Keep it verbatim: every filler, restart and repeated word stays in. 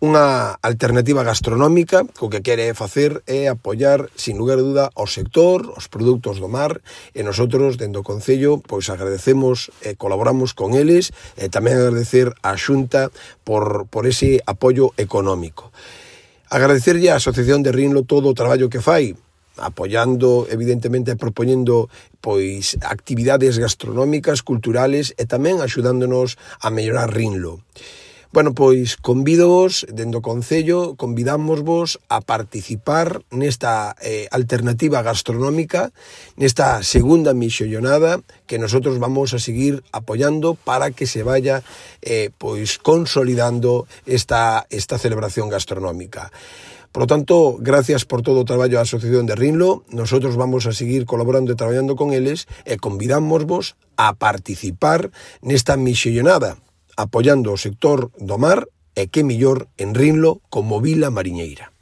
Unha alternativa gastronómica que o que quere facer é apoiar, sin lugar a duda, o sector, os produtos do mar, e nosotros, dende o Concello, pois agradecemos e colaboramos con eles, e tamén agradecer á Xunta por, por ese apoio económico. Agradecerlle á Asociación de Rinlo todo o traballo que fai, apoiando, evidentemente, e propoñendo pois actividades gastronómicas, culturales e tamén axudándonos a mellorar Rinlo. Bueno, pois convídovos, dende o Concello, convidámosvos a participar nesta eh, alternativa gastronómica, nesta segunda mixollonada que nosotros vamos a seguir apoiando para que se vaya eh, pois consolidando esta, esta celebración gastronómica. Por lo tanto, gracias por todo o traballo da Asociación de Rinlo. Nosotros vamos a seguir colaborando e traballando con eles e convidámosvos a participar nesta mixollonada, apoiando o sector do mar e que mellor en Rinlo como vila mariñeira.